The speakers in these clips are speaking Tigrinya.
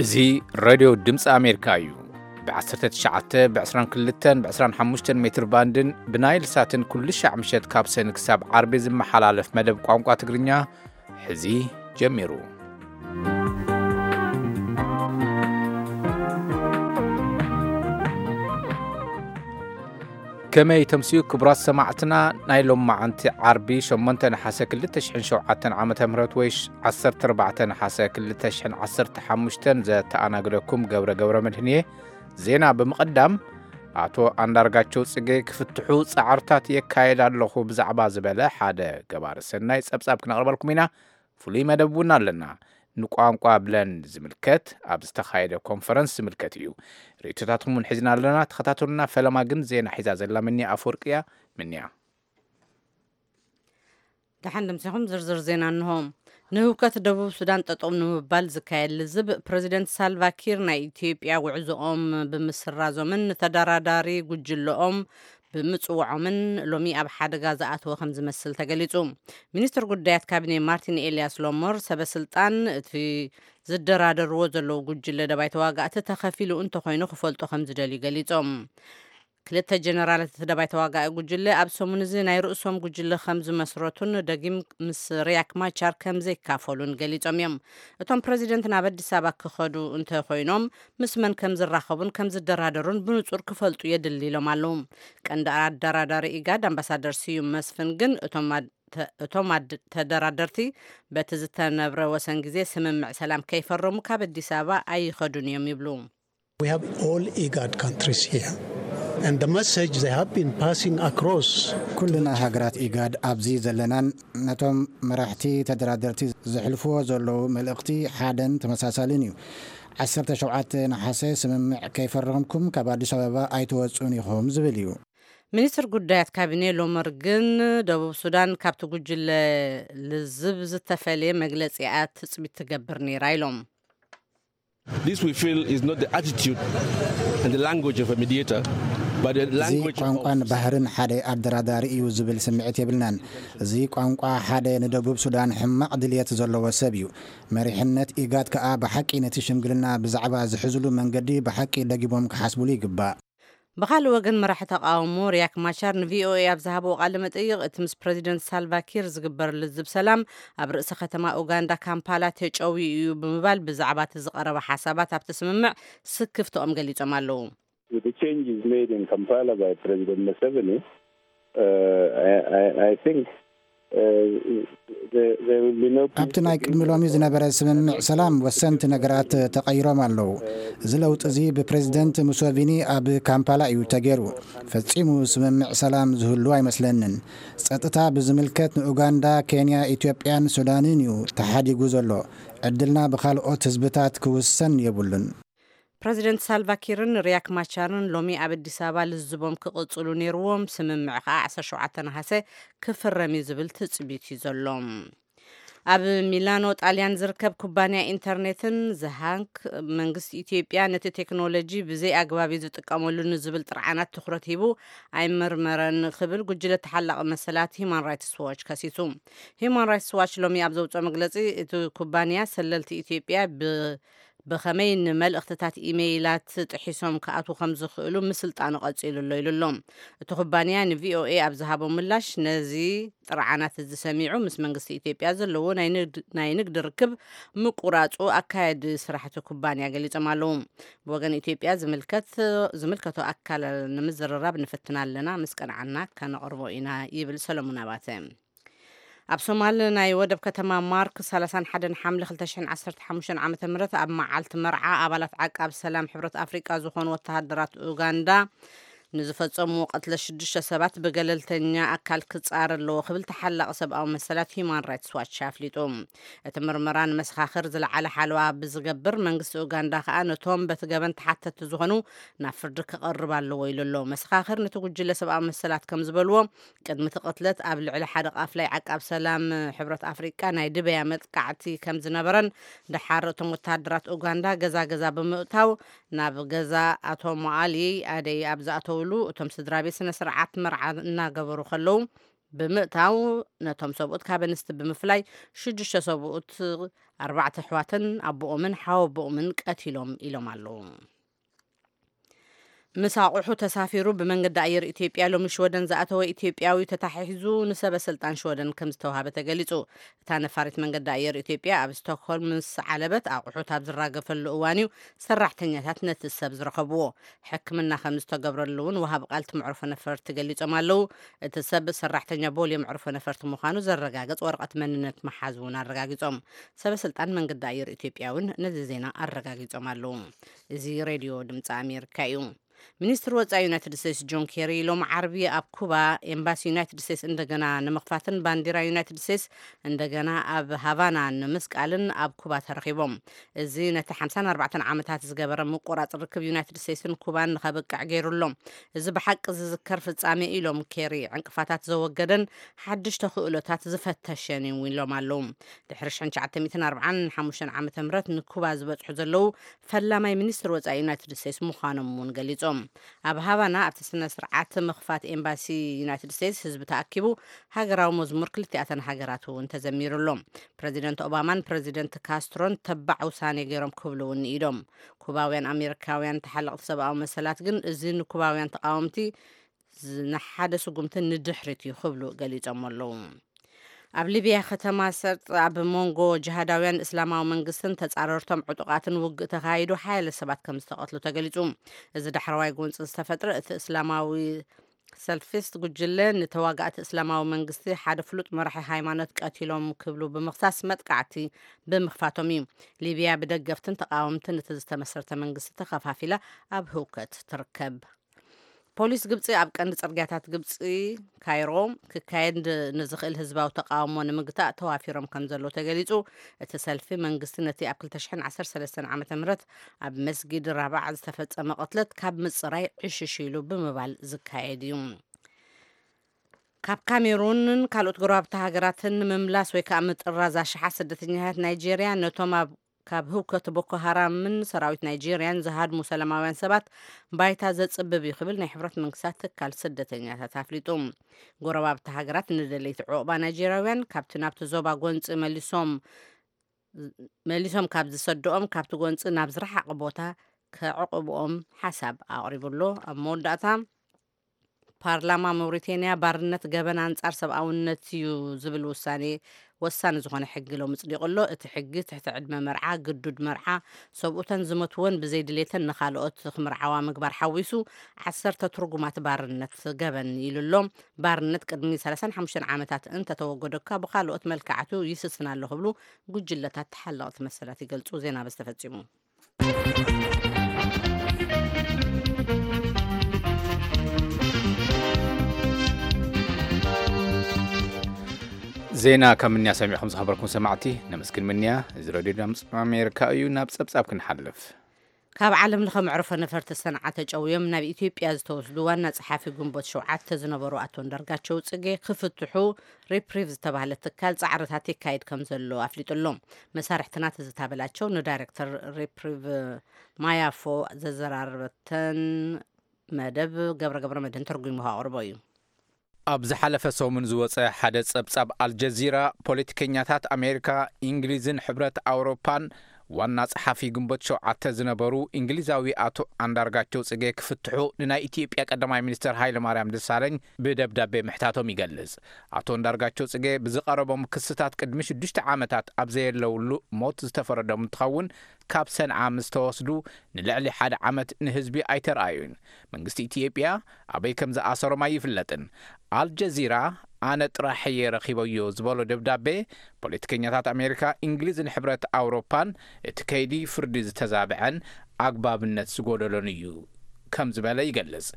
እዚ ሬድዮ ድምፂ ኣሜሪካ እዩ። ብ19፣ ብ22፣ ብ25 ሜትር ባንድን ብናይል ሳትን ኩሉ ሻዕ ምሸት ካብ ሰኒ ክሳብ ዓርቢ ዝመሓላለፍ መደብ ቋንቋ ትግርኛ ሕዚ ጀሚሩ። ከመይ ተምስዩ ክቡራት ሰማዕትና፣ ናይ ሎማዓንቲ ዓርቢ ሸሞንተ ነሓሰ ክልተ ሽሕን ሸውዓተን ዓመተ ምህረት ወይ ሽ-፣ ዓሰርተ ኣርባዕተ ነሓሰ ክልተ ሽሕን ዓሰርተ ሓሙሽተን ዘተኣናግደኩም ገብረ ገብረ መድህን እየ። ዜና ብምቕዳም፣ ኣቶ ኣንዳርጋቸው ጽጌ ክፍትሑ ጻዕርታት የካየድ ኣለኹ ብዛዕባ ዝበለ ሓደ ገባሪ ሰናይ ጸብጻብ ክነቕርበልኩም ኢና። ፍሉይ መደብ እውን ኣለና። ንቋንቋ ብለን ዝምልከት ኣብ ዝተኻየደ ኮንፈረንስ ዝምልከት እዩ። ርእይቶታትኩም እውን ሒዝና ኣለና። ተኸታተሉና። ፈለማ ግን ዜና ሒዛ ዘላ ምንያ ኣፈወርቂ እያ። ምንያ። ደሓን ደምሲኹም። ዝርዝር ዜና እንሆ። ንህውከት ደቡብ ሱዳን ጠጠው ንምባል ዝካየድ ልዝብ ፕረዚደንት ሳልቫ ኪር ናይ ኢትዮጵያ ጉዕዞኦም ብምስራዞምን ንተደራዳሪ ጉጅለኦም ብምጽውዖምን ሎሚ ኣብ ሓደጋ ዝኣተወ ከም ዝመስል ተገሊጹ። ሚኒስትር ጉዳያት ካቢኔ ማርቲን ኤልያስ ሎሞር ሰበ ስልጣን እቲ ዝደራደርዎ ዘለዉ ጉጅለ ደባይ ተዋጋእቲ ተኸፊሉ እንተኾይኑ ክፈልጡ ከም ዝደልዩ ገሊጾም። ክልተ ጀነራላት እቲ ደባይ ተዋጋኢ ጉጅለ ኣብ ሰሙን እዚ ናይ ርእሶም ጉጅለ ከም ዝመስረቱን ደጊም ምስ ሪያክ ማቻር ከም ዘይካፈሉን ገሊጾም እዮም። እቶም ፕረዚደንት ናብ ኣዲስ ኣበባ ክኸዱ እንተኾይኖም ምስ መን ከም ዝራኸቡን ከም ዝደራደሩን ብንጹር ክፈልጡ የድሊ ኢሎም ኣለዉ። ቀንዲ ኣደራዳሪ ኢጋድ ኣምባሳደር ስዩም መስፍን ግን እቶም ኣድ-፣ ተ-፣ እቶም ኣድ-፣ ተደራደርቲ በቲ ዝተነብረ ወሰን ግዜ ስምምዕ ሰላም ከይፈረሙ ካብ ኣዲስ ኣበባ ኣይኸዱን እዮም ይብሉ። We have all IGAD countries here. And the message they have been passing across ኩልና ሃገራት ኢጋድ ኣብዚ ዘለናን ነቶም መራሕቲ ተደራደርቲ ዘሕልፍዎ ዘለዉ መልእኽቲ ሓደን ተመሳሳልን እዩ። ዓሰርተ ሸውዓተ ነሓሰ ስምምዕ ከይፈረምኩም ካብ ኣዲስ ኣበባ ኣይትወጹን ኢኹም ዝብል እዩ። ሚኒስትር ጉዳያት ካቢኔ ሎመር ግን ደቡብ ሱዳን ካብቲ ጉጅለ ልዝብ ዝተፈለየ መግለጺኣ ትጽቢት ትገብር ነይራ ኢሎም። This we feel is not the attitude and the language of a mediator, but the እዚ language of ቋንቋን ባህርን ሓደ ኣደራዳሪ እዩ ዝብል ስምዒት የብልናን። እዚ ቋንቋ ሓደ ንደቡብ ሱዳን ሕማቕ ድልየት ዘለዎ ሰብ እዩ። መሪሕነት ኢጋድ ከኣ ብሓቂ ነቲ ሽምግልና ብዛዕባ ዝሕዝሉ መንገዲ ብሓቂ ደጊሞም ክሓስብሉ ይግባእ። ብኻልእ ወገን መራሒ ተቃውሞ ሪያክ ማቻር ንቪኦኤ ኣብ ዝሃብዎ ቃለ መጠይቕ እቲ ምስ ፕረዚደንት ሳልቫ ኪር ዝግበር ልዝብ ሰላም ኣብ ርእሲ ከተማ ኡጋንዳ ካምፓላ ተጨውዩ እዩ ብምባል ብዛዕባ እቲ ዝቐረበ ሓሳባት ኣብቲ ስምምዕ ስክፍትኦም ገሊጾም ኣለዉ። With the changes made in Kampala by President Museveni, uh, I, I, I think, uh, there, there will be no peace ኣብቲ ናይ ቅድሚ ሎሚ ዝነበረ ስምምዕ ሰላም ወሰንቲ ነገራት ተቐይሮም ኣለዉ። እዚ ለውጢ እዚ ብፕሬዚደንት ሙሶቪኒ ኣብ ካምፓላ እዩ ተገይሩ። ፈጺሙ ስምምዕ ሰላም ዝህሉ ኣይመስለንን። ጸጥታ ብዝምልከት ንኡጋንዳ፣ ኬንያ፣ ኢትዮጵያን ሱዳንን እዩ ተሓዲጉ ዘሎ። ዕድልና ብኻልኦት ህዝብታት ክውሰን የብሉን። ፕረዚደንት ሳልቫ ኪርን ሪያክ ማቻርን ሎሚ ኣብ ኣዲስ ኣበባ ልዝቦም ክቕጽሉ ነይርዎም፣ ስምምዕ ከኣ ዓሰርተ ሸውዓተ ነሓሰ ክፍረም እዩ ዝብል ትጽቢት እዩ ዘሎ። ኣብ ሚላኖ ጣልያን ዝርከብ ኩባንያ ኢንተርኔትን ዝሃንክ መንግስቲ ኢትዮጵያ ነቲ ቴክኖሎጂ ብዘይ ኣግባብ እዩ ዝጥቀመሉ ንዝብል ጥርዓናት ትኹረት ሂቡ ኣይመርመረን ክብል ጉጅለ ተሓላቒ መሰላት ሂማን ራይትስ ዎች ከሲሱ። ሂማን ራይትስ ዋች ሎሚ ኣብ ዘውፅኦ መግለፂ እቲ ኩባንያ ሰለልቲ ኢትዮጵያ ብ ብኸመይ ንመልእኽትታት ኢሜይላት ጥሒሶም ክኣትዉ ከም ዝኽእሉ ምስልጣኑ ቀጺሉ ኣሎ ኢሉ ኣሎ። እቲ ኩባንያ ንቪኦኤ ኣብ ዝሃቦ ምላሽ ነዚ ጥርዓናት እዚ ሰሚዑ ምስ መንግስቲ ኢትዮጵያ ዘለዎ ናይ ንግድ፣ ናይ ንግድ ርክብ ምቁራጹ ኣካየዲ ስራሕቲ ኩባንያ ገሊጾም ኣለዉ። ብወገን ኢትዮጵያ ዝምልከት፣ ዝምልከቶ ኣካል ንምዝርራብ ንፍትን ኣለና፣ ምስ ቀንዓና ከነቕርቦ ኢና ይብል ሰለሙን ኣባተ። ኣብ ሶማል ናይ ወደብ ከተማ ማርክ ሰላሳን ሓደን ሓምለ ክልተ ሽሕን ዓሰርተ ሓሙሽተን ዓመተ ምህረት ኣብ መዓልቲ መርዓ ኣባላት ዓቃብ ሰላም ሕብረት ኣፍሪቃ ዝኾኑ ወተሃደራት ኡጋንዳ ንዝፈጸምዎ ቅትለት ሽዱሽተ ሰባት ብገለልተኛ ኣካል ክጻረ ኣለዎ ክብል ተሓላቒ ሰብኣዊ መሰላት ሂማን ራይትስ ዋች ኣፍሊጡ። እቲ ምርመራ ንመሰኻኽር ዝለዓለ ሓለዋ ብዝገብር መንግስቲ ኡጋንዳ ከኣ ነቶም በቲ ገበን ተሓተትቲ ዝኾኑ ናብ ፍርዲ ክቐርብ ኣለዎ ኢሉ ኣሎ። መሰኻኽር ነቲ ጉጅለ ሰብኣዊ መሰላት ከም ዝበልዎ ቅድሚ እቲ ቅትለት ኣብ ልዕሊ ሓደ ቃፍላይ ዓቃብ ሰላም ሕብረት ኣፍሪቃ ናይ ድበያ መጥቃዕቲ ከም ዝነበረን፣ ደሓር እቶም ወተሃደራት ኡጋንዳ ገዛ ገዛ ብምእታው ናብ ገዛ ኣቶ ሞኣሊ ኣደይ ኣብ ዝኣተውሉ እቶም ስድራ ቤት ስነ ስርዓት መርዓ እናገበሩ ከለዉ ብምእታው፣ ነቶም ሰብኡት ካብ ኣንስቲ ብምፍላይ፣ ሽዱሽተ ሰብኡት፣ ኣርባዕተ ኣሕዋትን ኣቦኦምን ሓወቦኦምን ቀቲሎም ኢሎም ኣለዉ። ምስ ኣቑሑ ተሳፊሩ ብመንገዲ ኣየር ኢትዮጵያ ሎሚ ሽወደን ዝኣተወ ኢትዮጵያዊ ተታሒዙ ንሰበ ስልጣን ሽወደን ከም ዝተዋሃበ ተገሊጹ። እታ ነፋሪት መንገዲ ኣየር ኢትዮጵያ ኣብ ስቶክሆልም ምስ ዓለበት ኣቑሑት ኣብ ዝራገፈሉ እዋን እዩ ሰራሕተኛታት ነቲ ሰብ ዝረኸብዎ። ሕክምና ከም ዝተገብረሉ እውን ወሃቢ ቃል እቲ መዕርፎ ነፈርቲ ገሊጾም ኣለዉ። እቲ ሰብ ሰራሕተኛ ቦሌ መዕርፎ ነፈርቲ ምዃኑ ዘረጋግጽ ወረቐት መንነት መሓዙ እውን ኣረጋጊጾም። ሰበ ስልጣን መንገዲ ኣየር ኢትዮጵያ እውን ነዚ ዜና ኣረጋጊጾም ኣለዉ። እዚ ሬድዮ ድምፂ ኣሜሪካ እዩ። ሚኒስትር ወፃኢ ዩናይትድ ስቴትስ ጆን ኬሪ ሎም ዓርቢ ኣብ ኩባ ኤምባሲ ዩናይትድ ስቴትስ እንደገና ንምኽፋትን ባንዲራ ዩናይትድ ስቴትስ እንደገና ኣብ ሃቫና ንምስቃልን ኣብ ኩባ ተረኺቦም። እዚ ነቲ ሓምሳን ኣርባዕተን ዓመታት ዝገበረ ምቁራፅ ርክብ ዩናይትድ ስቴትስን ኩባን ንኸብቅዕ ገይሩ ኣሎ። እዚ ብሓቂ ዝዝከር ፍጻሜ ኢሎም ኬሪ ዕንቅፋታት ዘወገደን ሓድሽ ተኽእሎታት ዝፈተሸን እዩ ኢሎም ኣለዉ። ድሕሪ ሽሕን ትሽዓተ ሚእትን ኣርባዓን ሓሙሽተን ዓመተ ምህረት ንኩባ ዝበጽሑ ዘለዉ ፈላማይ ሚኒስትር ወጻኢ ዩናይትድ ስቴትስ ምዃኖም እውን ገሊጾም። ኣብ ሃቫና ኣብቲ ስነ ስርዓት ምኽፋት ኤምባሲ ዩናይትድ ስቴትስ ህዝቢ ተኣኪቡ ሃገራዊ መዝሙር ክልቲኣተን ሃገራት እውን ተዘሚሩ ኣሎ። ፕረዚደንት ኦባማን ፕረዚደንት ካስትሮን ተባዕ ውሳኔ ገይሮም ክብሉ እውን ንኢዶም። ኩባውያን ኣሜሪካውያን ተሓለቕቲ ሰብኣዊ መሰላት ግን እዚ ንኩባውያን ተቃወምቲ ዝ- ንሓደ ስጉምቲ ንድሕሪት እዩ ክብሉ ገሊጾም ኣለዉ። ኣብ ሊብያ ከተማ ሰርጥ ኣብ መንጎ ጅሃዳውያን እስላማዊ መንግስትን ተጻረርቶም ዕጡቓትን ውግእ ተኻይዱ ሓያለ ሰባት ከም ዝተቐትሉ ተገሊጹ። እዚ ዳሕረዋይ ጎንፂ ዝተፈጥረ እቲ እስላማዊ ሰልፊስት ጉጅለ ንተዋጋእቲ እስላማዊ መንግስቲ ሓደ ፍሉጥ መራሒ ሃይማኖት ቀቲሎም ክብሉ ብምኽሳስ መጥቃዕቲ ብምኽፋቶም እዩ። ሊብያ ብደገፍትን ተቃወምትን እቲ ዝተመሰረተ መንግስቲ ተኸፋፊላ ኣብ ህውከት ትርከብ። ፖሊስ ግብፂ ኣብ ቀንዲ ፅርግያታት ግብፂ ካይሮ ክካየድ ንዝኽእል ህዝባዊ ተቃውሞ ንምግታእ ተዋፊሮም ከም ዘለዉ ተገሊፁ። እቲ ሰልፊ መንግስቲ ነቲ ኣብ ክልተ ሽሕን ዓሰርተ ሰለስተን ዓመተ ምህረት ኣብ መስጊድ ራባዕ ዝተፈጸመ ቅትለት ካብ ምጽራይ ዕሽሽ ኢሉ ብምባል ዝካየድ እዩ። ካብ ካሜሩንን ካልኦት ጎረባብቲ ሃገራትን ንምምላስ ወይ ከዓ ምጥራዝ ኣሽሓት ስደተኛታት ናይጄርያ ነቶም ኣብ ካብ ህውከት ቦኮ ሃራምን ሰራዊት ናይጄርያን ዝሃድሙ ሰላማውያን ሰባት ባይታ ዘጽብብ እዩ ክብል ናይ ሕብረት መንግስታት ትካል ስደተኛታት ኣፍሊጡ። ጎረባብቲ ሃገራት ንደለይቲ ዑቕባ ናይጄርያውያን ካብቲ ናብቲ ዞባ ጎንፂ መሊሶም መሊሶም ካብ ዝሰድኦም ካብቲ ጎንፂ ናብ ዝረሓቐ ቦታ ከዕቕብኦም ሓሳብ ኣቕሪቡ ኣሎ። ኣብ መወዳእታ ፓርላማ ሞሪቴንያ ባርነት ገበን ኣንጻር ሰብኣውነት እዩ ዝብል ውሳኔ ወሳኒ ዝኾነ ሕጊ ሎም ጽዲቑ ኣሎ። እቲ ሕጊ ትሕቲ ዕድመ መርዓ፣ ግዱድ መርዓ፣ ሰብኡተን ዝመትወን ብዘይ ድሌተን ንኻልኦት ክምርዓዋ ምግባር ሓዊሱ ዓሰርተ ትርጉማት ባርነት ገበን ኢሉ ኣሎ። ባርነት ቅድሚ ሰላሳን ሓሙሽተን ዓመታት እንተተወገዶ እኳ ብኻልኦት መልክዓቱ ይስስን ኣሎ ክብሉ ጉጅለታት ተሓለቕቲ መሰላት ይገልጹ። ዜና በዚ ተፈጺሙ። ዜና ካብ ምንያ ሰሚዕኹም ዝኸበርኩም ሰማዕቲ ነመስግን። ምንያ እዚ ረድዮ ድምፂ ኣሜሪካ እዩ። ናብ ፀብፃብ ክንሓልፍ። ካብ ዓለም ለኸ መዕርፎ ነፈርቲ ሰንዓ ተጨውዮም ናብ ኢትዮጵያ ዝተወስዱ ዋና ጸሓፊ ግንቦት ሸውዓተ ዝነበሩ ኣቶ እንዳርጋቸው ጽጌ ክፍትሑ ሪፕሪቭ ዝተባህለ ትካል ጻዕርታት ይካየድ ከም ዘሎ ኣፍሊጡ ኣሎ። መሳርሕትና ትዝታ በላቸው ንዳይሬክተር ሪፕሪቭ ማያፎ ዘዘራረበተን መደብ ገብረ ገብረ መድህን ተርጉሙ ኣቕርቦ እዩ። ኣብ ዝሓለፈ ሰሙን ዝወጸ ሓደ ጸብጻብ ኣልጀዚራ፣ ፖለቲከኛታት ኣሜሪካ፣ እንግሊዝን ሕብረት ኣውሮፓን ዋና ጸሓፊ ግንቦት ሸውዓተ ዝነበሩ እንግሊዛዊ ኣቶ ኣንዳርጋቸው ጽጌ ክፍትሑ ንናይ ኢትዮጵያ ቀዳማይ ሚኒስትር ሃይለ ማርያም ደሳለኝ ብደብዳቤ ምሕታቶም ይገልጽ። ኣቶ ኣንዳርጋቸው ጽጌ ብዝቐረቦም ክስታት ቅድሚ ሽዱሽተ ዓመታት ኣብ ዘየለውሉ ሞት ዝተፈረዶም እንትኸውን፣ ካብ ሰንዓ ምስ ተወስዱ ንልዕሊ ሓደ ዓመት ንህዝቢ ኣይተረኣዩን። መንግስቲ ኢትዮጵያ ኣበይ ከም ዝኣሰሮም ኣይፍለጥን። ኣልጀዚራ ኣነ ጥራሕ እየ ረኺበዮ ዝበሎ ደብዳቤ፣ ፖለቲከኛታት ኣሜሪካ፣ እንግሊዝን ሕብረት ኣውሮፓን እቲ ከይዲ ፍርዲ ዝተዛብዐን ኣግባብነት ዝጎደሎን እዩ ከም ዝበለ ይገልጽ።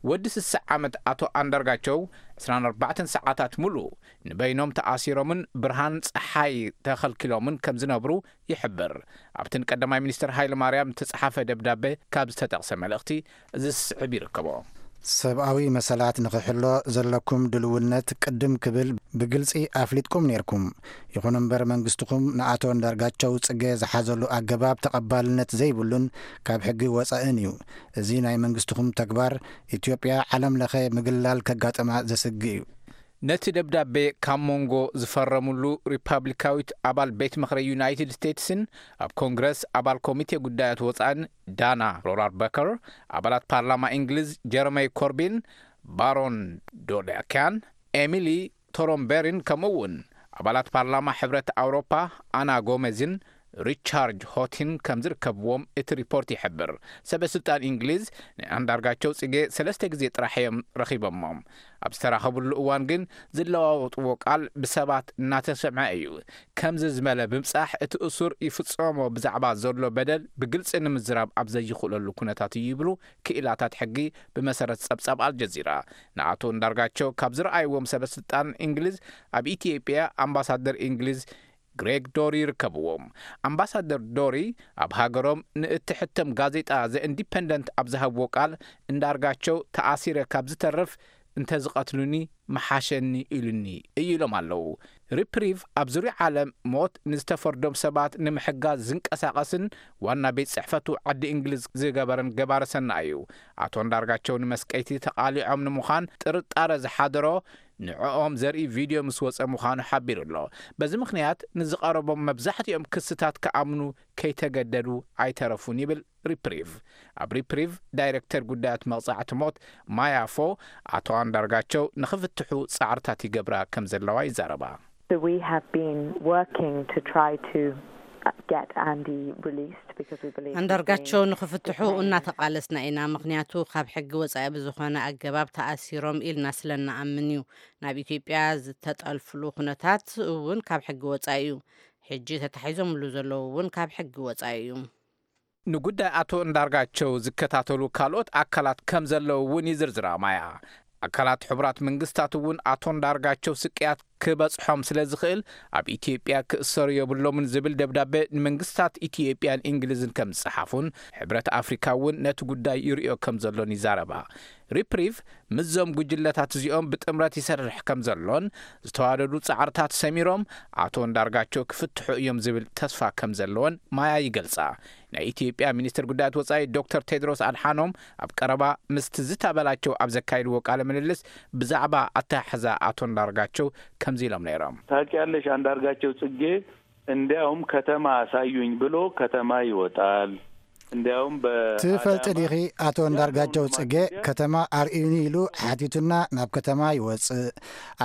ወዲ ስሳ ዓመት ኣቶ ኣንዳርጋቸው ዕስራን ኣርባዕተን ሰዓታት ሙሉእ ንበይኖም ተኣሲሮምን ብርሃን ጸሓይ ተኸልኪሎምን ከም ዝነብሩ ይሕብር። ኣብቲ ንቀዳማይ ሚኒስትር ሃይለ ማርያም ዝተጻሓፈ ደብዳቤ ካብ ዝተጠቕሰ መልእኽቲ እዚ ዝስዕብ ይርከቦ። ሰብኣዊ መሰላት ንኽሕሎ ዘለኩም ድልውነት ቅድም ክብል ብግልጺ ኣፍሊጥኩም ነይርኩም። ይኹን እምበር መንግስትኹም ንኣቶ እንዳርጋቸው ጽጌ ዝሓዘሉ ኣገባብ ተቐባልነት ዘይብሉን ካብ ሕጊ ወጻእን እዩ። እዚ ናይ መንግስትኹም ተግባር ኢትዮጵያ ዓለም ለኸ ምግላል ከጋጥማ ዘስግእ እዩ። ነቲ ደብዳቤ ካብ መንጎ ዝፈረምሉ ሪፓብሊካዊት ኣባል ቤት ምኽሪ ዩናይትድ ስቴትስን ኣብ ኮንግረስ ኣባል ኮሚቴ ጉዳያት ወጻእን ዳና ሮራርበከር፣ ኣባላት ፓርላማ እንግሊዝ ጀረመይ ኮርቢን፣ ባሮን ዶዳኪያን፣ ኤሚሊ ቶሮምበሪን፣ ከምኡ እውን ኣባላት ፓርላማ ሕብረት ኣውሮፓ ኣና ጎመዝን ሪቻርድ ሆቲን ከም ዝርከብዎም እቲ ሪፖርት ይሕብር። ሰበ ስልጣን እንግሊዝ ንኣንዳርጋቸው ጽጌ ሰለስተ ግዜ ጥራሕ እዮም ረኺቦሞም። ኣብ ዝተራኸብሉ እዋን ግን ዝለዋወጥዎ ቃል ብሰባት እናተሰምዐ እዩ። ከምዚ ዝበለ ምብጻሕ እቲ እሱር ይፍጸሞ ብዛዕባ ዘሎ በደል ብግልጺ ንምዝራብ ኣብ ዘይኽእለሉ ኩነታት እዩ ይብሉ ክኢላታት ሕጊ ብመሰረት ጸብጻብ ኣልጀዚራ። ንኣቶ እንዳርጋቸው ካብ ዝረኣይዎም ሰበ ስልጣን እንግሊዝ ኣብ ኢትዮጵያ ኣምባሳደር እንግሊዝ ግሬግ ዶሪ ይርከብዎም። ኣምባሳደር ዶሪ ኣብ ሃገሮም ንእትሕተም ጋዜጣ ዘ ኢንዲፐንደንት ኣብ ዝሃብዎ ቃል እንዳርጋቸው ተኣሲረ ካብ ዝተርፍ እንተዝቐትሉኒ ምሓሸኒ ኢሉኒ እዩ ኢሎም ኣለዉ። ሪፕሪቭ ኣብ ዙርያ ዓለም ሞት ንዝተፈርዶም ሰባት ንምሕጋዝ ዝንቀሳቐስን ዋና ቤት ጽሕፈቱ ዓዲ እንግሊዝ ዝገበረን ገባረ ሰናይ እዩ። ኣቶ እንዳርጋቸው ንመስቀይቲ ተቓሊዖም ንምዃን ጥርጣረ ዝሓደሮ ንዕኦም ዘርኢ ቪድዮ ምስ ወጸ ምዃኑ ሓቢሩ ኣሎ። በዚ ምኽንያት ንዝቐረቦም መብዛሕትኦም ክስታት ክኣምኑ ከይተገደዱ ኣይተረፉን ይብል ሪፕሪቭ። ኣብ ሪፕሪቭ ዳይሬክተር ጉዳያት መቕጻዕቲ ሞት ማያ ፎ፣ ኣቶ ኣንዳርጋቸው ንኽፍትሑ ጻዕርታት ይገብራ ከም ዘለዋ ይዛረባ። So we have been working to try to get Andy released because we believe he's ኣንዳርጋቸው being ንኽፍትሑ detained. እናተቓለስና ኢና፣ ምኽንያቱ ካብ ሕጊ ወጻኢ ብዝኾነ ኣገባብ ተኣሲሮም ኢልና ስለ እንኣምን እዩ። ናብ ኢትዮጵያ ዝተጠልፍሉ ኩነታት እውን ካብ ሕጊ ወጻኢ እዩ። ሕጂ ተታሒዞምሉ ዘለዉ እውን ካብ ሕጊ ወጻኢ እዩ። ንጉዳይ ኣቶ እንዳርጋቸው ዝከታተሉ ካልኦት ኣካላት ከም ዘለዉ እውን ይዝርዝራ ማያ። ኣካላት ሕቡራት መንግስታት እውን ኣቶ እንዳርጋቸው ስቅያት ክበጽሖም ስለ ዝኽእል ኣብ ኢትዮጵያ ክእሰሩ የብሎምን ዝብል ደብዳቤ ንመንግስታት ኢትዮጵያን እንግሊዝን ከም ዝጸሓፉን ሕብረት ኣፍሪካ እውን ነቲ ጉዳይ ይርእዮ ከም ዘሎን ይዛረባ። ሪፕሪቭ ምስዞም ጉጅለታት እዚኦም ብጥምረት ይሰርሕ ከም ዘሎን ዝተዋደዱ ጻዕርታት ሰሚሮም ኣቶ እንዳርጋቸው ክፍትሑ እዮም ዝብል ተስፋ ከም ዘለዎን ማያ ይገልጻ። ናይ ኢትዮጵያ ሚኒስትር ጉዳያት ወጻኢ ዶክተር ቴድሮስ ኣድሓኖም ኣብ ቀረባ ምስ ትዝታ በላቸው ኣብ ዘካየድዎ ቃለ ምልልስ ብዛዕባ ኣተሓሕዛ ኣቶ እንዳርጋቸው ከምዚ ኢሎም ነይሮም። ታውቂያለሽ፣ አንዳርጋቸው ጽጌ እንዲያውም ከተማ አሳዩኝ ብሎ ከተማ ይወጣል። እንዲያውም በ- ትፈልጢ አዳማ ዲኺ ኣቶ እንዳርጋቸው ጽጌ ከተማ ኣርእዩኒ ኢሉ ሓቲቱና ናብ ከተማ ይወጽእ።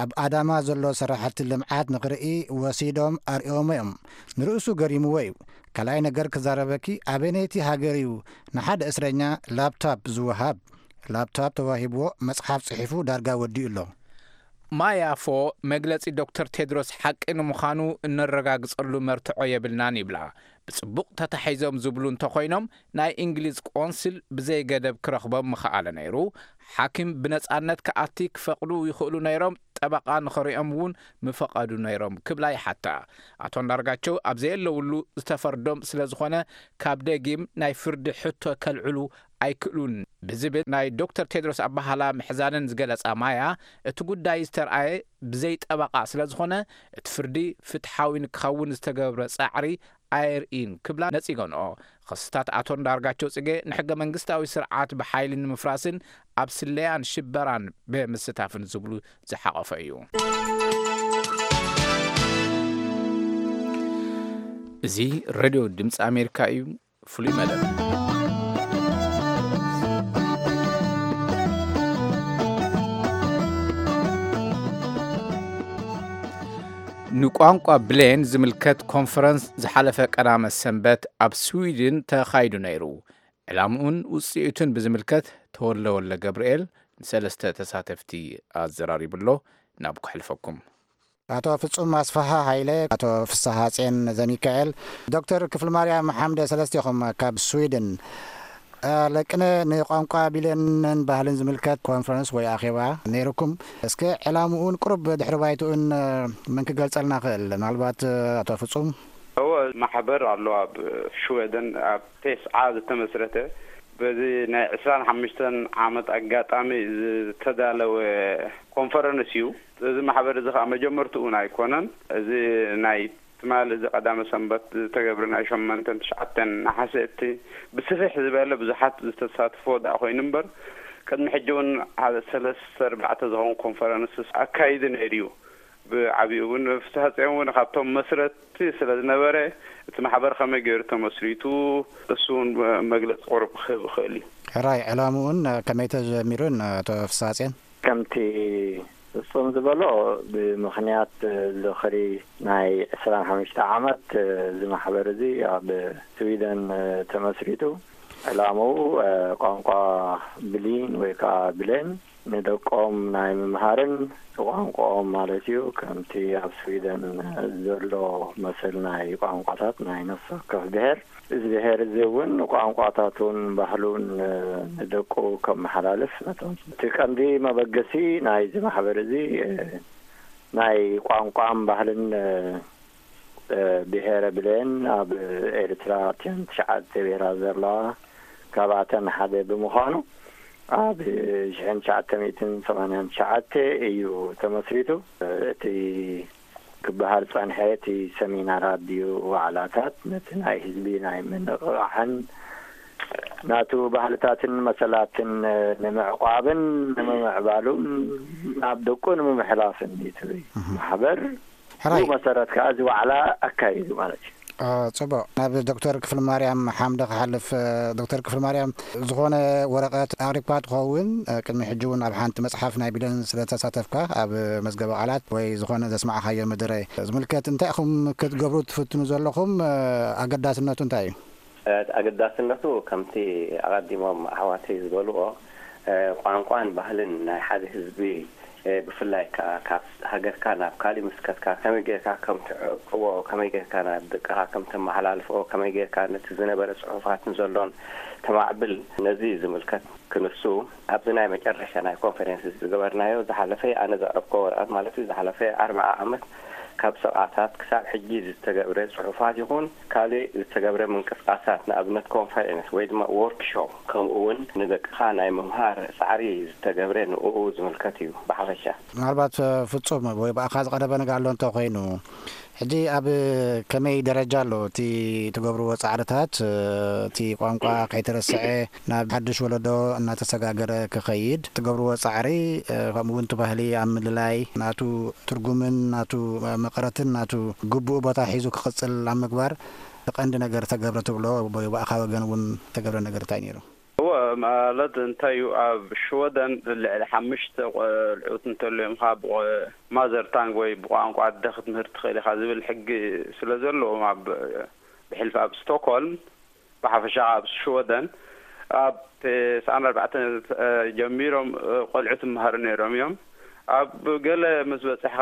ኣብ ኣዳማ ዘሎ ስራሕቲ ልምዓት ንኽርኢ ወሲዶም ኣርእዮም እዮም። ንርእሱ ገሪምዎ እዩ። ካልኣይ ነገር ክዛረበኪ ኣበነይቲ ሃገር እዩ ንሓደ እስረኛ ላፕታፕ ዝወሃብ? ላፕታፕ ተዋሂብዎ መጽሓፍ ጽሒፉ ዳርጋ ወዲኡ ኣሎ። ማያፎ መግለጺ ዶክተር ቴድሮስ ሓቂ ንምዃኑ እነረጋግጸሉ መርትዖ የብልናን ይብላ። ብጽቡቕ ተታሒዞም ዝብሉ እንተኾይኖም ናይ እንግሊዝ ቆንስል ብዘይገደብ ክረኽቦም ምኸኣለ ነይሩ። ሓኪም ብነጻነት ክኣቲ ክፈቕዱ ይኽእሉ ነይሮም፣ ጠበቓ ንኸሪኦም እውን ምፈቐዱ ነይሮም ክብላ ይሓታ። ኣቶ እንዳርጋቸው ኣብ ዘየለውሉ ዝተፈርዶም ስለ ዝኾነ ካብ ደጊም ናይ ፍርዲ ሕቶ ከልዕሉ ኣይክእሉን ብዝብል ናይ ዶክተር ቴድሮስ ኣባሃላ ምሕዛንን ዝገለጻ ማያ፣ እቲ ጉዳይ ዝተርኣየ ብዘይ ጠበቓ ስለ ዝኾነ እቲ ፍርዲ ፍትሓዊ ንክኸውን ዝተገብረ ጻዕሪ ኣየርእይን ክብላ ነጺገንኦ። ኸስታት ኣቶ እንዳርጋቸው ጽጌ ንሕገ መንግስታዊ ስርዓት ብሓይሊ ንምፍራስን ኣብ ስለያን ሽበራን ብምስታፍን ዝብሉ ዝሓቐፈ እዩ። እዚ ሬድዮ ድምፂ ኣሜሪካ እዩ። ፍሉይ መደብ። ንቋንቋ ብሌን ዝምልከት ኮንፈረንስ ዝሓለፈ ቀዳመ ሰንበት ኣብ ስዊድን ተኻይዱ ነይሩ። ዕላምኡን ውፅኢቱን ብዝምልከት ተወልደ ወልደ ገብርኤል ንሰለስተ ተሳተፍቲ ኣዘራሪቡ ኣሎ። ናብ ከሕልፈኩም። ኣቶ ፍጹም ኣስፍሃ ሃይለ፣ ኣቶ ፍስሃ ጼን ዘሚካኤል፣ ዶክተር ክፍልማርያም ሓምደ፣ ሰለስቴኹም ካብ ስዊድን። እ፣ ለቅነ ንቋንቋ ቢልየንን ባህልን ዝምልከት ኮንፈረንስ ወይ ኣኼባ ነይርኩም። እስከ ዕላምኡን ቁሩብ ድሕሪ ባይትኡን፣ እ፣ መን ክገልጸልና ክእል? ምናልባት፣ እ፣ ኣቶ ፍጹም? እወ፣ ማሕበር ኣሎ ኣብ ሽወደን፣ ኣብ ቴስዓ ዝተመስረተ። በዚ ናይ ዕስራን ሓሙሽተን ዓመት ኣጋጣሚ ዝተዳለወ ኮንፈረንስ እዩ። እዚ ማሕበር እዚ ኸዓ መጀመርትኡ እውን ኣይኮነን። እዚ ናይ ትማሊ እዚ ቀዳመ ሰንበት ዝተገብረ ናይ ሸሞንተን ትሽዓተን ነሓሰ እቲ ብስፍሕ ዝበለ ብዙሓት ዝተሳትፎ ደኣ ኮይኑ እምበር፣ ቅድሚ ሕጂ እውን ሓደ ሰለስተ ኣርባዕተ ዝኾኑ ኮንፈረንስስ ኣካይዱ ነይሩ እዩ። ብዓብኡ እውን ፍስሃ ጽዮን እውን ካብቶም መስረትቲ ስለ ዝነበረ፣ እቲ ማሕበር ከመይ ገይሩ ተመስሪቱ፣ እሱ እውን መግለጺ ቁሩብ ክህብ ይኽእል እዩ። ሕራይ፣ ዕላምኡን ከመይ ተጀሚሩን፣ ኣቶ ፍስሃ ጽዮን? ከምቲ ፍጹም ዝበሎ፣ ብምኽንያት ዝኽሪ ናይ ዕስራን ሓሙሽተ ዓመት እዚ ማሕበር እዚ ኣብ ስዊደን ተመስሪቱ፣ ዕላምኡ ቋንቋ ብሊን ወይ ከዓ ብሌን ንደቆም ናይ ምምሃርን ቋንቋኦም ማለት እዩ፣ ከምቲ ኣብ ስዊደን ዘሎ መሰል ናይ ቋንቋታት ናይ ነፍሲ ወከፍ ብሔር፣ እዚ ብሔር እዚ እውን ቋንቋታቱን ባህሉን ንደቁ ከመሓላልፍ ነቶም፣ እቲ ቀንዲ መበገሲ ናይዚ ማሕበር እዚ ናይ ቋንቋን ባህልን ብሄረ ብሌን ኣብ ኤርትራ እተን ትሽዓተ ብሄራት ዘለዋ፣ ካብኣተን ሓደ ብምዃኑ፣ ኣብ ሽሕን ትሽዓተ ሚእትን ሰማንያን ትሽዓተ እዩ ተመስሪቱ። እቲ ክበሃል ጸንሐ፣ እቲ ሰሚናራት ድዩ ዋዕላታት፣ ነቲ ናይ ህዝቢ ናይ ምንቕቓሕን ናቱ ባህልታትን መሰላትን ንምዕቋብን ንምምዕባሉን ናብ ደቁ ንምምሕላፍን እዩ። እቲ ማሕበር ሕራይ። ብኡ መሰረት ከኣ እዚ ዋዕላ ኣካይዱ ማለት እዩ። አ፣ ጽቡቕ። ናብ ዶክተር ክፍልማርያም ሓምደ ክሓልፍ። እ፣ ዶክተር ክፍልማርያም፣ ዝኾነ ወረቐት ኣቕሪብካ ትኸውን፣ እ፣ ቅድሚ ሕጂ እውን ኣብ ሓንቲ መጽሓፍ ናይ ቢለን ስለ ተሳተፍካ፣ ኣብ መዝገበ ቃላት ወይ ዝኾነ ዘስማዕካዮ መደረ ዝምልከት እንታይ ኢኹም ክትገብሩ ትፍትኑ ዘለኹም? እ፣ ኣገዳስነቱ እንታይ እዩ? እ፣ ኣገዳስነቱ ከምቲ ኣቐዲሞም ኣሕዋተይ ዝበልዎ፣ እ፣ ቋንቋን ባህልን ናይ ሓደ ህዝቢ፣ እ፣ ብፍላይ ከኣ ካብ ሃገርካ ናብ ካሊእ ምስ ከድካ ከመይ ጌርካ ከም ትዕቅቦ፣ ከመይ ጌርካ ናብ ደቅኻ ከም ተመሓላልፎ፣ ከመይ ጌርካ ነቲ ዝነበረ ጽሑፋትን ዘሎን ተማዕብል፣ ነዚ ዝምልከት ክንሱ ኣብዚ ናይ መጨረሻ ናይ ኮንፈረንስ ዝገበርናዮ ዝሓለፈ ኣነ ዘቕረብኮ ወረቐት ማለት እዩ። ዝሓለፈ ኣርብዓ ዓመት ካብ ሰብዓታት ክሳብ ሕጂ ዝተገብረ ጽሑፋት ይኹን ካልእ ዝተገብረ ምንቅስቃሳት፣ ንኣብነት ኮንፈረንስ ወይ ድማ ዎርክሾፕ፣ ከምኡ እውን ንደቅኻ ናይ ምምሃር ጻዕሪ ዝተገብረ ንእኡ ዝምልከት እዩ ብሓፈሻ። ምናልባት፣ እ፣ ፍጹም ወይ ብኣኻ ዝቐረበ ነገር ኣሎ እንተኾይኑ፣ ሕጂ ኣብ ከመይ ደረጃ ኣሎ እቲ ትገብርዎ ጻዕርታት፣ እ፣ እቲ ቋንቋ ከይተረስዐ ናብ ሓድሽ ወለዶ እናተሰጋገረ ክኸይድ ትገብርዎ ጻዕሪ፣ እ፣ ከምኡ እውን እቲ ባህሊ ኣብ ምልላይ ናቱ ትርጉምን ናቱ መቐረትን ናቱ ግቡእ ቦታ ሒዙ ክቕጽል ኣብ ምግባር ቀንዲ ነገር ተገብረ ትብሎ ወይ ብኣኻ ወገን እውን ተገብረ ነገር እንታይ ነይሩ? እወ፣ ማለት እንታይ እዩ፣ ኣብ ሽወደን ልዕሊ ሓሙሽተ ቆልዑት እንተልዮም ካብ ማዘር ታንግ ወይ ብቋንቋ ኣደ ክትምህር ትኽእል ኢኻ ዝብል ሕጊ ስለ ዘለዎም፣ ኣብ ብሕልፊ ኣብ ስቶክሆልም፣ ብሓፈሻ ኣብ ሽወደን ኣብ ተስዓን ኣርባዕተን ጀሚሮም ቆልዑት ይመሃሩ ነይሮም እዮም። ኣብ ገለ ምስ በጽሕኻ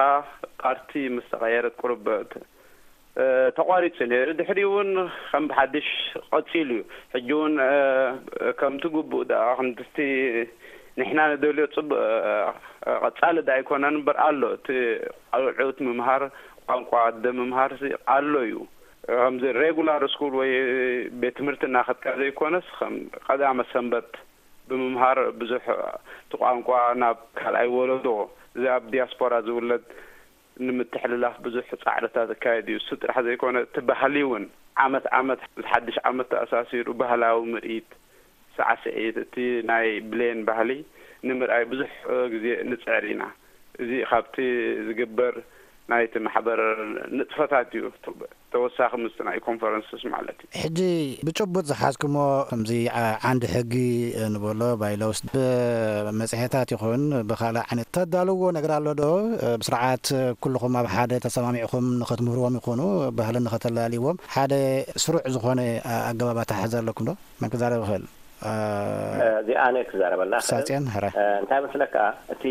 ፓርቲ ምስ ተቐየረት ቁሩብ ተቋሪጹ ነይሩ። ድሕሪኡ እውን ከም ብሓድሽ ቀጺሉ እዩ። ሕጂ እውን ከምቲ ግቡእ ደኣ ክንድቲ ንሕና ንደልዮ ጽቡቕ ቀጻሊ ደኣ ኣይኮነን እምበር ኣሎ። እቲ ቆልዑት ምምሃር፣ ቋንቋ ኣደ ምምሃርሲ ኣሎ እዩ። ከምዚ ሬጉላር ስኩል ወይ ቤት ትምህርቲ እናኸድካ ዘይኮነስ፣ ከም ቀዳመ ሰንበት ብምምሃር ብዙሕ እቲ ቋንቋ ናብ ካልኣይ ወለዶ፣ እዚ ኣብ ዲያስፖራ ዝውለድ ንምትሕልላፍ ብዙሕ ጻዕርታት ዝካየድ እዩ። እሱ ጥራሕ ዘይኮነ፣ እቲ ባህሊ እውን ዓመት ዓመት፣ ምስ ሓድሽ ዓመት ተኣሳሲሩ ባህላዊ ምርኢት፣ ሳዕስዒት፣ እቲ ናይ ብሌን ባህሊ ንምርኣይ ብዙሕ ግዜ ንጽዕር ኢና። እዚ ካብቲ ዝግበር ናይቲ ማሕበር ንጥፈታት እዩ፣ ተወሳኺ ምስቲ ናይ ኮንፈረንስስ ማለት እዩ። ሕጂ ብጭቡጥ ዝሓዝኩሞ ከምዚ ዓ-፣ ዓንዲ ሕጊ ንበሎ ባይሎውስ ብመጽሔታት ይኹን ብኻልእ ዓይነት ተዳልዎ ነገር ኣሎ ዶ? ብስርዓት ኩልኹም ኣብ ሓደ ተሰማሚዕኹም ንኸትምህርዎም ይኹኑ ባህልን ንኸተላልይዎም ሓደ ስሩዕ ዝኾነ ኣገባብ ኣተሓሕዛ ኣለኩም ዶ? መን ክዛረብ ይኽእል? እ፣ እዚኣ ኣነ ክዛረበላ እኽእል። ሳጽዮን፣ ሕራይ። እ፣ እንታይ መስለካ፣ እቲ፣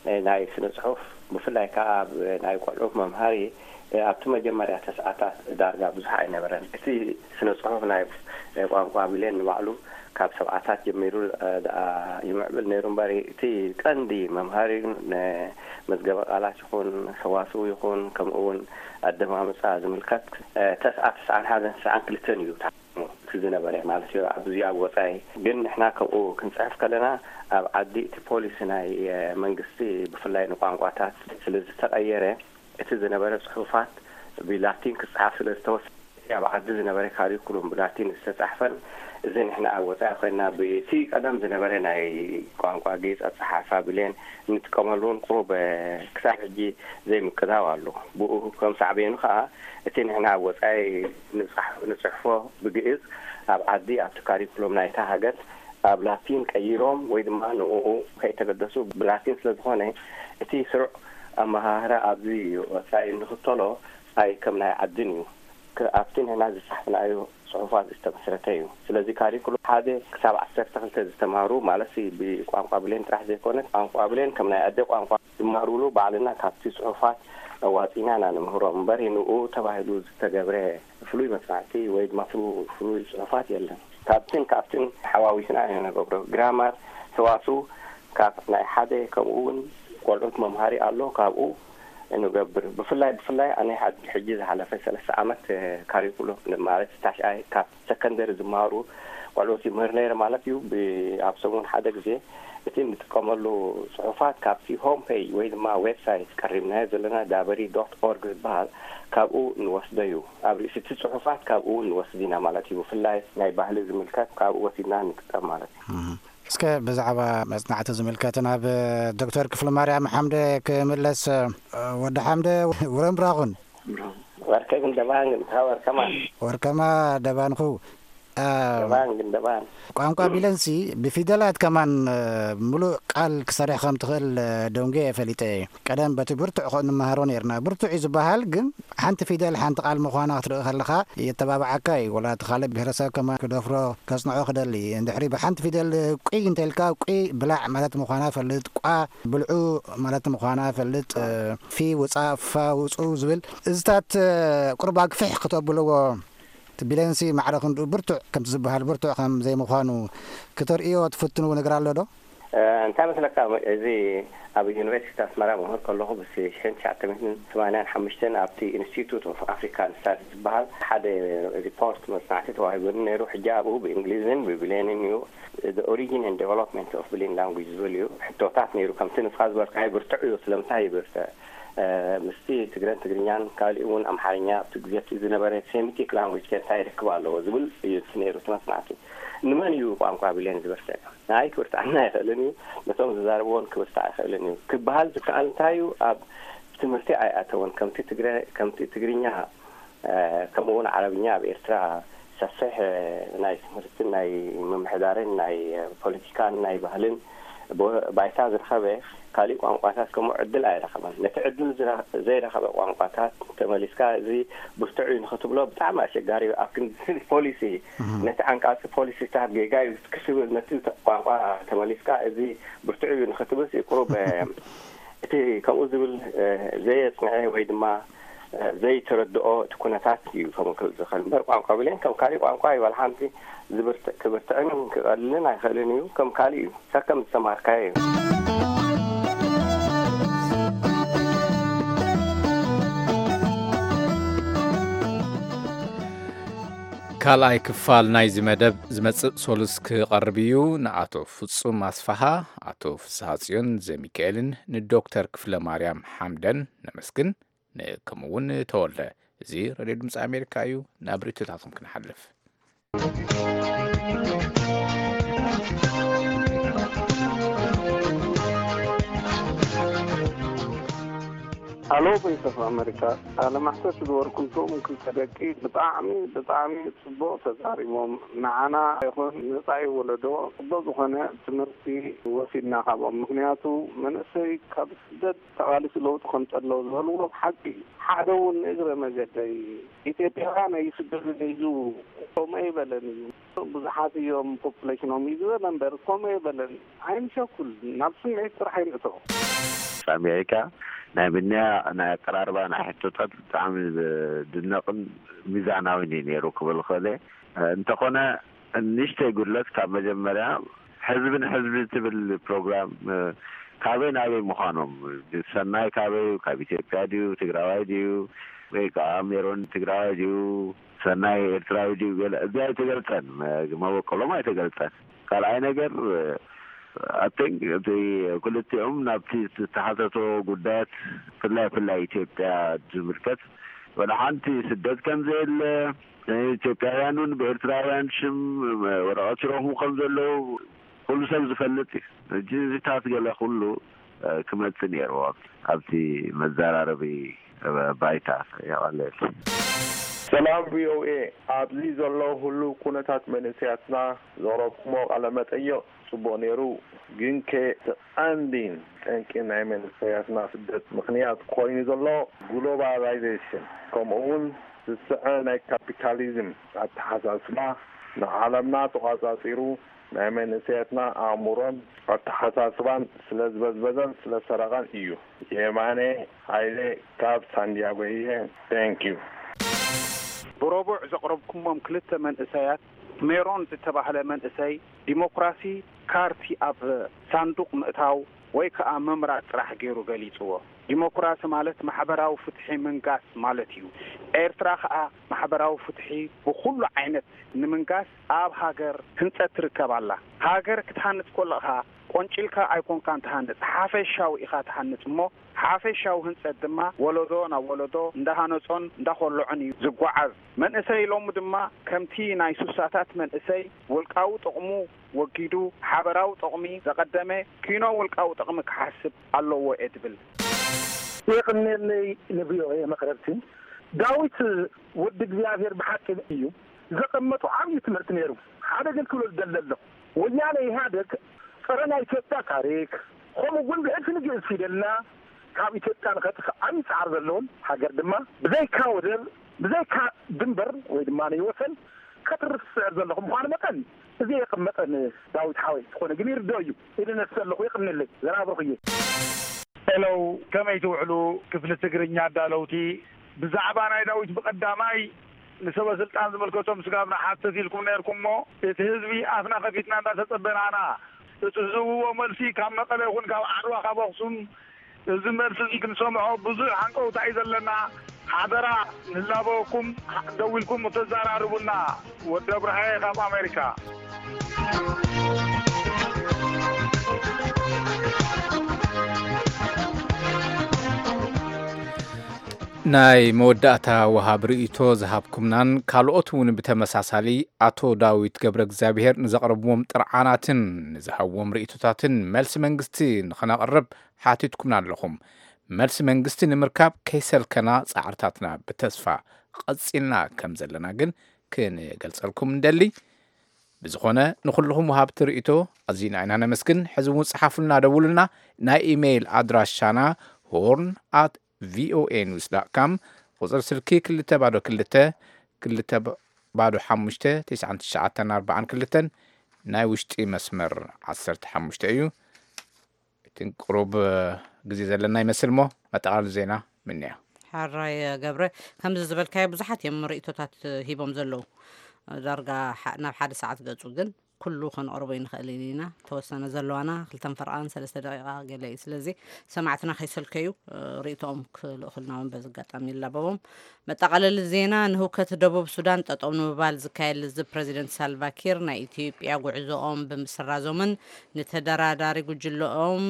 እ፣ ናይ ስነ ጽሑፍ፣ ብፍላይ ከኣ ኣብ ናይ ቆልዑ መምሃሪ፣ እ፣ ኣብቲ መጀመርያ ተስዓታት ዳርጋ ብዙሕ ኣይነበረን። እቲ ስነ ጽሑፍ ናይ፣ እ፣ ቋንቋ ብሌን ንባዕሉ ካብ ሰብዓታት ጀሚሩ፣ እ፣ ደኣ ይምዕብል ነይሩ እምበር፣ እቲ ቀንዲ መምሃሪ ንመዝገበ ቃላት ይኹን፣ ሰዋስው ይኹን፣ ከምኡ እውን ኣደማምጻ ዝምልከት፣ እ፣ ተስዓ፣ ተስዓን ሓደን፣ ተስዓን ክልተን እዩ። እቲ ዝነበረ ማለት እዩ። ኣብዚ ኣብ ወጻኢ ግን ንሕና ከምኡ ክንጽሕፍ ከለና ኣብ ዓዲ እቲ ፖሊሲ ናይ፣ እ፣ መንግስቲ ብፍላይ ንቋንቋታት ስለ ዝተቐየረ እቲ ዝነበረ ጽሑፋት ብላቲን ክጽሓፍ ስለ ዝተወሰነ እቲ ኣብ ዓዲ ዝነበረ ካሪኩሉም ብላቲን ዝተጻሕፈን እዚ ንሕና ኣብ ወጻኢ ኮይና ብቲ ቀደም ዝነበረ ናይ ቋንቋ ግእዝ ኣጸሓሕፋ ብሌን እንጥቀመሉ እውን ቁሩብ፣ እ፣ ክሳብ ሕጂ ዘይምቅዳው ኣሎ። ብኡ ከም ሳዕቤኑ ከኣ እቲ ንሕና ኣብ ወጻኢ ንጽሕ-፣ ንጽሕፎ ብግእዝ ኣብ ዓዲ ኣብቲ ካሪኩሎም ናይታ ሃገር ኣብ ላቲን ቀይሮም ወይ ድማ ንእኡ ከይተገደሱ ብላቲን ስለ ዝኾነ እቲ ስሩዕ ኣመሃህራ ኣብዚ ወጻኢ እንኽተሎ ኣይ ከም ናይ ዓድን እዩ። ክ-፣ ኣብቲ ንሕና ዝጻሕፍናዮ ጽሑፋት ዝተመስረተ እዩ። ስለዚ ካሪኩሎም ሓደ ክሳብ ዓሰርተ ክልተ ዝተማህሩ ማለት ብቋንቋ ብሌን ጥራሕ ዘይኮነ ቋንቋ ብሌን ከም ናይ ኣደ ቋንቋ ዝማሩሉ ባዕልና ካብቲ ጽሑፋት ኣዋጺና ኢና ንምህሮም እምበር ንኡ ተባሂሉ ዝተገብረ ፍሉይ መጽናዕቲ ወይ ድማ ፍሉ-፣ ፍሉይ ጽሑፋት የለን። ካብትን ካብትን ሓዋዊስና ኢና ንገብሮ። ግራማር፣ ሰዋስው ካብ ናይ ሓደ ከምኡ እውን ቆልዑት መምሃሪ ኣሎ ካብኡ ንገብር። ብፍላይ ብፍላይ ኣነ ሓድ-፣ ሕጂ ዝሓለፈ ሰለስተ ዓመት፣ እ፣ ካሪኩሎም ማለት ታሽኣይ ካብ ሰከንደሪ ዝመሃሩ ቆልዑት ይምህር ነይረ ማለት እዩ። ብ-፣ ኣብ ሰሙን ሓደ ግዜ እቲ እንጥቀመሉ ጽሑፋት ካብቲ ሆም ፔጅ ወይ ድማ ዌብሳይት ቀሪብናዮ ዘለና ዳበሪ ዶት ኦርግ ዝበሃል ካብኡ ንወስዶ እዩ። ኣብ ርእሲ እቲ ጽሑፋት ካብኡ ንወስድ ኢና ማለት እዩ። ብፍላይ ናይ ባህሊ ዝምልከት ካብኡ ወሲድና ንጥቀም ማለት እዩ። እህ። እስከ ብዛዕባ መጽናዕቲ ዝምልከት ናብ ዶክተር ክፍለ ማርያም ሓምደ ክምለስ። ወዲ ሓምደ፣ ውረምብራኹን። ወርከ ግን ደባን ግን፣ ወርከማ። ወርከማ ደባንኹ። አ፣ ደባን ግን ደባን። ቋንቋ ቢለንሲ ብፊደላት ከማን፣ እ፣ ምሉእ ቃል ክሰርሕ ከም ትኽእል፣ እ፣ ደንጉየ ፈሊጠ እየ። ቀደም በቲ ብርቱዕ ከ-፣ ንመሃሮ ነይርና። ብርቱዕ እዩ ዝበሃል፣ ግን ሓንቲ ፊደል ሓንቲ ቃል ምዃና ክትርኢ ከለኻ የተባብዓካ እዩ። ወላ እቲ ካልእ ብሄረሰብ ከማን ክደፍሮ ከጽንዖ ክደሊ። እንድሕሪ ብሓንቲ ፊደል ቁይ እንተልካ፣ ቁይ ብላዕ ማለት ምዃና ፈልጥ፣ ቋ ብልዑ ማለት ምዃና ፈልጥ፣ እ፣ ፊ ውጻእ፣ ፋ ውጹ ዝብል እዝታት፣ እ፣ ቁሩብ ኣግፍሕ ክተብልዎ እቲ ቢለንሲ ማዕረ ክንድኡ ብርቱዕ ከምቲ ዝበሃል ብርቱዕ ከም ዘይምዃኑ ክተርእዮ ትፍትንዎ ነገር ኣሎ ዶ? እ፣ እንታይ መስለካ፣ እዚ ኣብ ዩኒቨርሲቲ ኣስመራ መምህር ከለኹ ብስ-፣ ሽሕን ትሽዓተ ሚእትን ሰማንያን ሓሙሽተን ኣብቲ ኢንስቲቱት ኦፍ ኣፍሪካን ስታዲስ ዝበሃል ሓደ ሪፖርት መጽናዕቲ ተዋሂቡኒ ነይሩ። ሕጂ ኣብኡ ብእንግሊዝን ብብሌንን እዩ፣ The Origin and Development of Belen Language ዝብል እዩ። ሕቶታት ነይሩ፣ ከምቲ ንስኻ ዝበልካዮ ብርቱዕ እዩ። ስለምንታይ ይብርትዕ? እ፣ ምስቲ ትግረን ትግርኛን ካልእ እውን ኣምሓርኛ ኣብቲ ግዜ እቲ ዝነበረ ሴሚቲክ ላንጉጅ ከ እንታይ ርክብ ኣለዎ ዝብል እዩ እቲ ነይሩ እቲ መጽናዕቲ። ንመን እዩ ቋንቋ ብሌን ዝብርትዕ? ንኣይ ክብርትዓና ኣይኽእልን እዩ፣ ነቶም ዝዛረብዎን ክብርትዕ ኣይኽእልን እዩ። ክበሃል ዝከኣል እንታይ እዩ? ኣብ ትምህርቲ ኣይኣተወን። ከምቲ ትግረ-፣ ከምቲ ትግርኛ፣ እ፣ ከምኡ እውን ዓረብኛ ኣብ ኤርትራ ሰፊሕ፣ እ፣ ናይ ትምህርትን ናይ ምምሕዳርን ናይ ፖለቲካን ናይ ባህልን ቦ-፣ ባይታ ዝረኸበ ካሊእ ቋንቋታት ከምኡ ዕድል ኣይረኸበን። ነቲ ዕድል ዝረ-፣ ዘይረኸበ ቋንቋታት ተመሊስካ እዚ ብርቱዕ እዩ ንኽትብሎ ብጣዕሚ ኣሸጋሪ እዩ። ኣብ ክንዲ ፖሊሲ፣ እህ። ነቲ ዓንቃጺ ፖሊሲታት ጌጋ እዩ ክትብል፣ ነቲ ተ-፣ ቋንቋ ተመሊስካ እዚ ብርቱዕ እዩ ንኽትብልሲ ቁሩብ፣ እ፣ እቲ ከምኡ ዝብል፣ እ፣ ዘየጽንዐ ወይ ድማ፣ እ፣ ዘይተረድኦ እቲ ኩነታት እዩ ከምኡ ክብል ዝኽእል እምበር ቋንቋ ብሌን ከም ካሊእ ቋንቋ እዩ። ዋላ ሓንቲ ዝብርት-፣ ክብርትዕን ክቐልልን ኣይኽእልን እዩ። ከም ካሊእ እዩ። ሰከም ዝተማሃርካዮ እዩ። ካልኣይ ክፋል ናይዚ መደብ ዝመጽእ ሶሉስ ክቐርብ እዩ። ንኣቶ ፍጹም ኣስፍሃ፣ ኣቶ ፍስሃጽዮን ዘሚካኤልን ንዶክተር ክፍለ ማርያም ሓምደን ነመስግን። ን-፣ ከምኡ እውን ተወልደ። እዚ ሬድዮ ድምፂ ኣሜሪካ እዩ። ናብ ርእይቶታትኩም ክንሓልፍ። ሃሎ ቮይስ ኦፍ ኣሜሪካ፣ ቃለ መሕትት ዝገበርኩምቶም ክልተ ደቂ ብጣዕሚ፣ ብጣዕሚ ጽቡቕ ተዛሪቦም። ንዓና ይኹን ንመጻኢ ወለዶ ጽቡቕ ዝኾነ ትምህርቲ ወሲድና ካብኦም። ምኽንያቱ መንእሰይ ካብ ስደት ተቓሊሱ ለውጢ ከምጽእ ኣለዎ ዝበልዎ ሓቂ እዩ። ሓደ እውን ንእግረ መገደይ ኢትዮጵያውያን ኣይስደዱን እዩ ዝብሉ፣ ከምኡ ኣይበለን እዩ። ብዙሓት እዮም ፖፑሌሽኖም እዩ ዝበለ እምበር፣ ከምኡ ኣይበለን። ኣይንሸኩል፣ ናብ ስምዒት ጥራሕ ኣይንእቶ። ኣሜሪካ ናይ ምንያ ናይ ኣቀራርባ ናይ ሕቶታት ብጣዕሚ ዝድነቕን ሚዛናዊን እዩ ነይሩ ክብል ክእል እየ። እንተኾነ ንእሽተይ ጉድለት ካብ መጀመርያ ሕዝቢ ንሕዝቢ ትብል ፕሮግራም፣ እ፣ ካበይ ናበይ ምዃኖም፣ ሰናይ ካበይ እዩ? ካብ ኢትዮጵያ ድዩ? ትግራዋይ ድዩ? ወይ ከዓ ሜሮን ትግራዋይ ድዩ? ሰናይ ኤርትራዊ ድዩ? ገለ እዚ ኣይተገልጸን፣ እ፣ መበቆሎም ኣይተገልጸን። ካልኣይ ነገር፣ እ፣ I think እቲ ክልቲኦም ናብቲ ዝተሓተቶ ጉዳያት፣ ብፍላይ፣ ብፍላይ ኢትዮጵያ ዝምልከት፣ ወላ ሓንቲ ስደት ከም ዘየለ፣ ኢትዮጵያውያን እውን ብኤርትራውያን ሽም ወረቐት ይረኽቡ ከም ዘለዉ ኩሉ ሰብ ዝፈልጥ እዩ። ሕጂ እዚታት ገለ ኩሉ ክመጽእ ነይርዎ ኣብቲ መዘራረቢ ባይታ። የቐለል። ሰላም ቪኦኤ፣ ኣብዚ ዘሎ ህሉው ኩነታት መንእሰያትና ዘቕረብኩሞ ቃለ መጠይቕ ጽቡቕ ነይሩ። ግንከ እቲ ቀንዲን ጠንቂ ናይ መንእሰያትና ስደት ምኽንያት ኮይኑ ዘሎ ግሎባላይዜሽን ከምኡ እውን ዝስዐ ናይ ካፒታሊዝም ኣተሓሳስባ ንዓለምና ተቋጻጺሩ ናይ መንእሰያትና ኣእምሮን ኣተሓሳስባን ስለ ዝበዝበዘን ስለ ሰረቐን እዩ። የማነ ሃይለ ካብ ሳንዲያጎ እየ። Thank you። ብረቡዕ ዘቕረብኩሞም ክልተ መንእሰያት ሜሮን ዝተባህለ መንእሰይ ዲሞክራሲ ካርቲ ኣብ ሳንዱቕ ምእታው ወይ ከኣ ምምራጽ ጥራሕ ገይሩ ገሊጽዎ። ዲሞክራሲ ማለት ማሕበራዊ ፍትሒ ምንጋስ ማለት እዩ። ኤርትራ ከኣ ማሕበራዊ ፍትሒ ብኹሉ ዓይነት ንምንጋስ ኣብ ሃገር ህንጸት ትርከብ ኣላ። ሃገር ክትሃንጽ ኮለኻ ቆንጭልካ ኣይኮንካን ትሃንጽ፣ ሓፈሻዊ ኢኻ ትሃንጽ እሞ ሓፈሻዊ ህንጸት ድማ ወለዶ ናብ ወለዶ እንዳሃነጾን እንዳኾለዖን እዩ ዝጓዓዝ። መንእሰይ ሎሚ ድማ ከምቲ ናይ ሱሳታት መንእሰይ ውልቃዊ ጥቕሙ ወጊዱ ሓበራዊ ጥቕሚ ዘቐደመ ኪኖ ውልቃዊ ጥቕሚ ክሓስብ ኣለዎ እየ ድብል። የቕኔለይ ንቪኦኤ መቕረብቲ። ዳዊት ወዲ እግዚኣብሔር ብሓቂ እዩ ዘቐመጡ ዓብዪ ትምህርቲ ነይሩ። ሓደ ግን ክብሎ ዝደሊ ኣለኹ፣ ወያነ ኢህኣደግ ጸረ ናይ ኢትዮጵያ ታሪክ ከምኡ እውን ብዕልፊ ንግእዝ ፊደልና ካብ ኢትዮጵያ ንኸጥፍእ ዓብዪ ጻዕሪ ዘለዎም ሃገር ድማ ብዘይካ ወደብ ብዘይካ ድንበር ወይ ድማ ናይ ወሰን ከትርፍ ዝጽዕር ዘለኹ ምዃኑ መጠን እዚ የቐመጠን ዳዊት ሓወይ ዝኾነ ግን ይርዶ እዩ ኢለ ነስእ ኣለኹ። የቕንለይ ዘራብርኹ እየ። ሄለው ከመይ ትውዕሉ ክፍሊ ትግርኛ ኣዳለውቲ? ብዛዕባ ናይ ዳዊት ብቐዳማይ ንሰበ ስልጣን ዝምልከቶም ስጋብ ንሓትት ኢልኩም ነይርኩም እሞ እቲ ህዝቢ ኣፍና ከፊትና እንዳተጸበናና እቲ ዝህብዎ መልሲ ካብ መቐለ ይኹን ካብ ዓድዋ ካብ ኣኽሱም እዚ መልሲ እዚ ክንሰምዖ ብዙሕ ሃንቀውታ እዩ ዘለና። ሓደራ ንላበወኩም ደዊልኩም ተዘራርቡና። ወዲ ኣብርሃየ ካብ ኣሜሪካ። ናይ መወዳእታ ወሃብ ርእይቶ ዝሃብኩምናን ካልኦት እውን ብተመሳሳሊ ኣቶ ዳዊት ገብረ እግዚኣብሔር ንዘቕረብዎም ጥርዓናትን ንዝሃብዎም ርእይቶታትን መልሲ መንግስቲ ንኸነቕርብ ሓቲትኩምና ኣለኹም። መልሲ መንግስቲ ንምርካብ ከይሰልከና ጻዕርታትና ብተስፋ ቐጺልና ከም ዘለና ግን ክንገልጸልኩም እንደሊ። ብዝኾነ ንኹልኹም ወሃብቲ ርእይቶ ኣዚና ኢና ነመስግን። ሕዚ እውን ጸሓፉልና፣ ደውሉልና። ናይ ኢሜይል ኣድራሻና ሆርን ኣት ቪኦኤ ኒውስ ዳት ካም፣ ቁጽሪ ስልኪ ክልተ ባዶ ክልተ ክልተ ባዶ ሓሙሽተ ትስዓን ትሽዓተን ኣርባዓን ክልተን፣ ናይ ውሽጢ መስመር ዓሰርተ ሓሙሽተ እዩ። እቲ ቁሩብ ግዜ ዘለና ይመስል እሞ መጠቓለሊ ዜና ምንያ። ሓራይ ገብረ፣ ከምዚ ዝበልካዮ ብዙሓት እዮም ርእይቶታት ሂቦም ዘለዉ። ዳርጋ ናብ ሓደ ሰዓት ገጹ ግን ኩሉ ከነቕርቦ ይንኽእል ኢና። ተወሰነ ዘለዋና ክልተን ፈርቓን ሰለስተ ደቂቓ ገለ እዩ። ስለዚ ሰማዕትና ከይሰልከዩ ርእይቶኦም ክልእኹልና እውን በዚ ኣጋጣሚ ይላበቦም። መጠቓለሊ ዜና፣ ንህውከት ደቡብ ሱዳን ጠጠው ንምባል ዝካየድ ልዝብ ፕረዚደንት ሳልቫኪር ናይ ኢትዮጵያ ጉዕዞኦም ብምስራዞምን ንተደራዳሪ ጉጅለኦም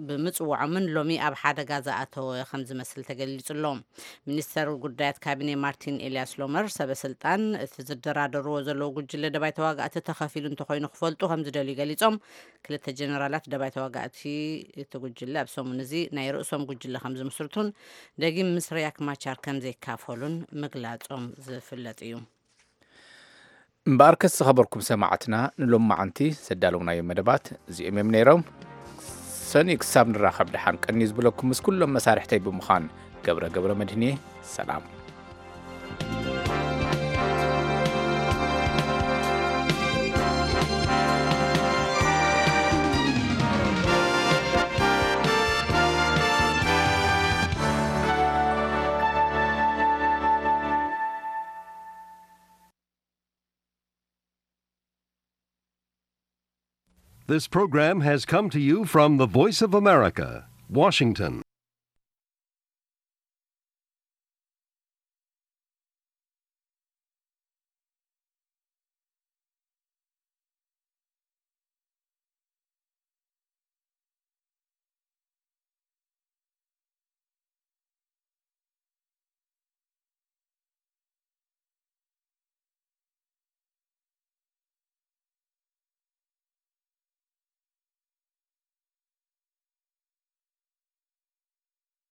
ብምጽውዖምን ሎሚ ኣብ ሓደጋ ዝኣተወ ከም ዝመስል ተገሊጹ ኣሎ። ሚኒስተር ጉዳያት ካቢኔ ማርቲን ኤልያስ ሎመር፣ ሰበ ስልጣን እቲ ዝደራደርዎ ዘለዉ ጉጅለ ደባይ ተዋጋእቲ ተኸፊሉ እንተኾይኑ ክፈልጡ ከም ዝደልዩ ገሊጾም። ክልተ ጀነራላት ደባይ ተዋጋእቲ እቲ ጉጅለ ኣብ ሰሙን እዚ ናይ ርእሶም ጉጅለ ከም ዝምስርቱን ደጊም ምስ ሪያክ ማቻር ከም ዘይካፈሉን ምግላጾም ዝፍለጥ እዩ። እምበኣርከስ ዝኸበርኩም ሰማዕትና ንሎማዓንቲ ዘዳለውናዮም መደባት እዚኦም እዮም ነይሮም። ሰኑይ ክሳብ ንራኸብ ደሓን ቀንዩ ዝብለኩም ምስ ኩሎም መሳርሕተይ ብምዃን ገብረ ገብረ መድህን እየ። ሰላም። This program has come to you from the Voice of America, Washington.